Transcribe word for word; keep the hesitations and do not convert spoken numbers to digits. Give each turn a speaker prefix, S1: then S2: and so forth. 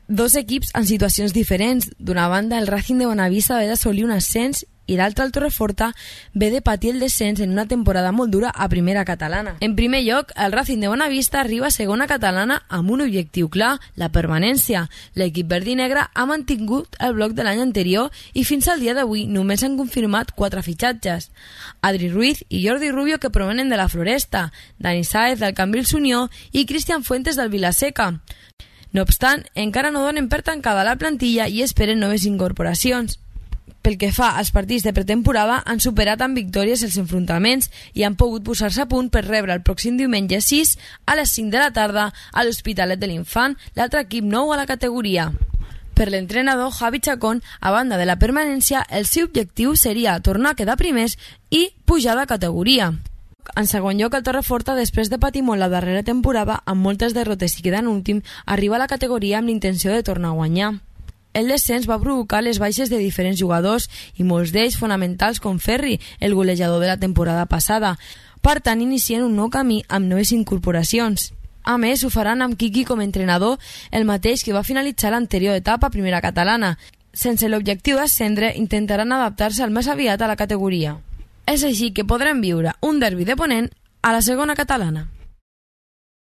S1: dos equips en situacions diferents. D'una banda, el Racing de Bonavista ve d'assolir un ascens i l'altre, el Torreforta, ve de patir el descens en una temporada molt dura a primera catalana. En primer lloc, el Racing de Bonavista arriba a segona catalana amb un objectiu clar, la permanència. L'equip verd i negre ha mantingut el bloc de l'any anterior i fins al dia d'avui només han confirmat quatre fitxatges. Adri Ruiz i Jordi Rubio, que provenen de la Floresta, Dani Sáez del Cambrils Unió i Cristian Fuentes del Vilaseca. No obstant, encara no donen per tancada la plantilla i esperen noves incorporacions. Pel que fa als partits de pretemporada, han superat amb victòries els enfrontaments i han pogut posar-se a punt per rebre el pròxim diumenge sis a les cinc de la tarda a l'Hospitalet de l'Infant, l'altre equip nou a la categoria. Per l'entrenador Javi Chacón, a banda de la permanència, el seu objectiu seria tornar a quedar primers i pujar de categoria. En segon lloc, el Torreforta, després de patir molt la darrera temporada, amb moltes derrotes i quedant últim, arriba a la categoria amb l'intenció de tornar a guanyar. El descens va provocar les baixes de diferents jugadors i molts d'ells fonamentals com Ferri, el golejador de la temporada passada. Per tant, inicien un nou camí amb noves incorporacions. A més, ho faran amb Quiqui com a entrenador, el mateix que va finalitzar l'anterior etapa a primera catalana. Sense l'objectiu d'ascendre, intentaran adaptar-se al més aviat a la categoria. És així que podrem viure un derbi de Ponent a la segona catalana.